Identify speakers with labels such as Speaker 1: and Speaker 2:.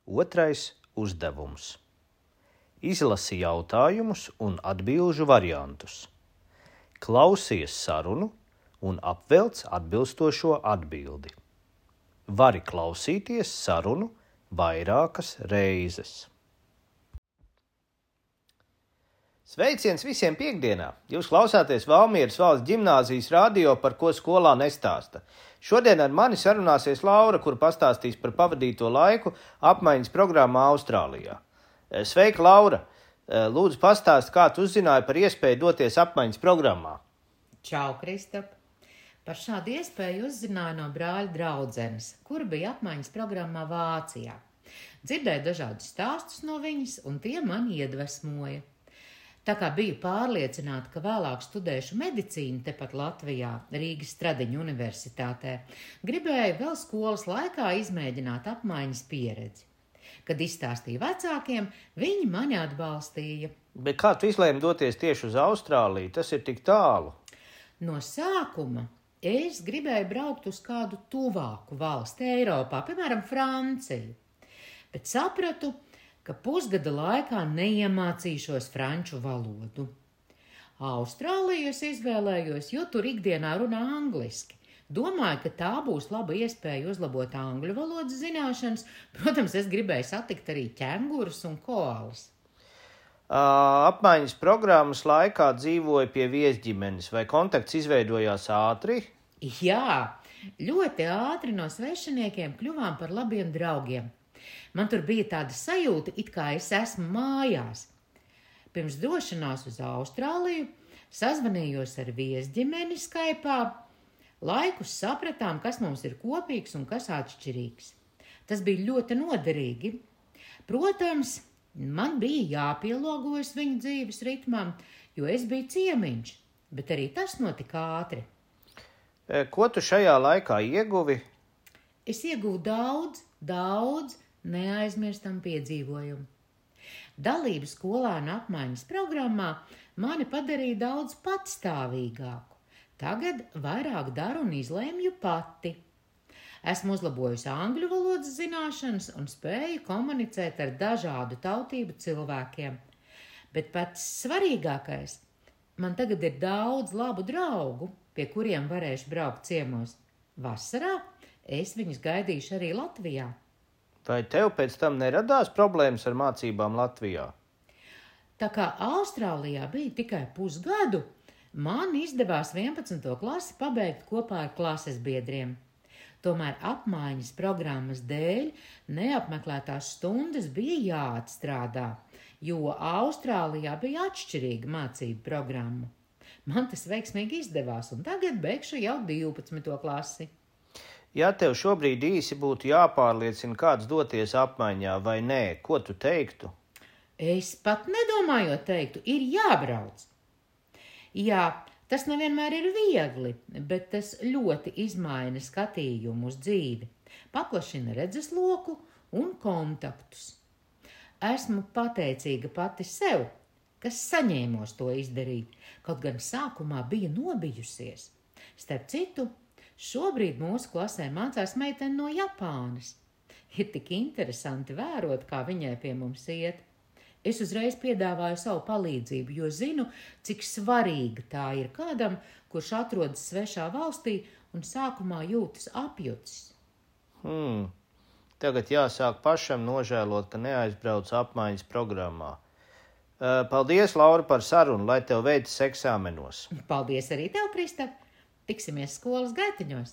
Speaker 1: Otrais uzdevums. Izlasi jautājumus un atbilžu variantus. Klausies sarunu un apvelc atbilstošo atbildi. Vari klausīties sarunu vairākas reizes. Sveiciens visiem piekdienā! Jūs klausāties Valmieras valsts ģimnāzijas radio, par ko skolā nestāsta. Šodien ar mani sarunāsies Laura, kur pastāstīs par pavadīto laiku apmaiņas programmā Austrālijā. Sveika, Laura! Lūdzu pastāst, kā tu uzzināji par iespēju doties apmaiņas programmā.
Speaker 2: Čau, Kristap! Par šādu iespēju uzzināju no brāļa draudzenes, kura bija apmaiņas programmā Vācijā. Dzirdēju dažādus stāstus no viņas, un tie mani iedvesmoja. Tā kā biju pārliecināta, ka vēlāk studēšu medicīnu tepat Latvijā, Rīgas Stradiņu universitātē, gribēju vēl skolas laikā izmēģināt apmaiņas pieredzi. Kad izstāstīju vecākiem, viņi mani atbalstīja.
Speaker 1: Bet kā tu izlēmi doties tieši uz Austrāliju? Tas ir tik tālu.
Speaker 2: No sākuma es gribēju braukt uz kādu tuvāku valsti Eiropā, piemēram, Franciju. Bet sapratu, ka pusgada laikā neiemācīšos franču valodu. Austrāliju es izvēlējos, jo tur ikdienā runā angliski. Domāju, ka tā būs laba iespēja uzlabot angļu valodas zināšanas. Protams, es gribēju satikt arī ķengurus un koalas.
Speaker 1: Apmaiņas programmas laikā dzīvoja pie viesģimenes, vai kontakts izveidojās ātri?
Speaker 2: Jā, ļoti ātri no svešiniekiem kļuvām par labiem draugiem. Man tur bija tāda sajūta, it kā es esmu mājās. Pirms došanās uz Austrāliju sazvanījos ar viesģimeni Skype'ā. Laikus sapratām, kas mums ir kopīgs un kas atšķirīgs. Tas bija ļoti noderīgi. Protams, man bija jāpielāgojas viņu dzīves ritmam, jo es biju ciemiņš, bet arī tas notika ātri.
Speaker 1: Ko tu šajā laikā ieguvi?
Speaker 2: Es ieguvu daudz neaizmirstam piedzīvojumu. Dalība skolānu apmaiņas programmā mani padarīja daudz patstāvīgāku. Tagad vairāk daru un izlēmju pati. Esmu uzlabojusi angļu valodas zināšanas un spēju komunicēt ar dažādu tautību cilvēkiem. Bet pats svarīgākais, man tagad ir daudz labu draugu, pie kuriem varēšu braukt ciemos. Vasarā es viņus gaidīšu arī Latvijā.
Speaker 1: Vai tev pēc tam neradās problēmas ar mācībām Latvijā?
Speaker 2: Tā kā Austrālijā bija tikai pusgadu, man izdevās 11. klasi pabeigt kopā ar klases biedriem. Tomēr apmaiņas programmas dēļ neapmeklētās stundas bija jāatstrādā, jo Austrālijā bija atšķirīga mācību programma. Man tas veiksmīgi izdevās, un tagad beigšu jau 12. klasi.
Speaker 1: Ja tev šobrīd īsi būtu jāpārliecina, kāds doties apmaiņā vai nē, ko tu teiktu?
Speaker 2: Es pat nedomājot teiktu, ir jābrauc. Jā, tas nevienmēr ir viegli, bet tas ļoti izmaina skatījumu uz dzīvi, paplašina redzesloku un kontaktus. Esmu pateicīga pati sev, kas saņēmos to izdarīt, kaut gan sākumā bija nobijusies. Starp citu, šobrīd mūsu klasē mācās meitene no Japānas. Ir tik interesanti vērot, kā viņai pie mums iet. Es uzreiz piedāvāju savu palīdzību, jo zinu, cik svarīga tā ir kādam, kurš atrodas svešā valstī un sākumā jūtas apjucis.
Speaker 1: Tagad jāsāk pašam nožēlot, ka neaizbrauc apmaiņas programmā. Paldies, Laura, par sarunu, lai tev veicas eksāmenos.
Speaker 2: Paldies arī tev, Kristap! Tiksimies skolas gaitiņos!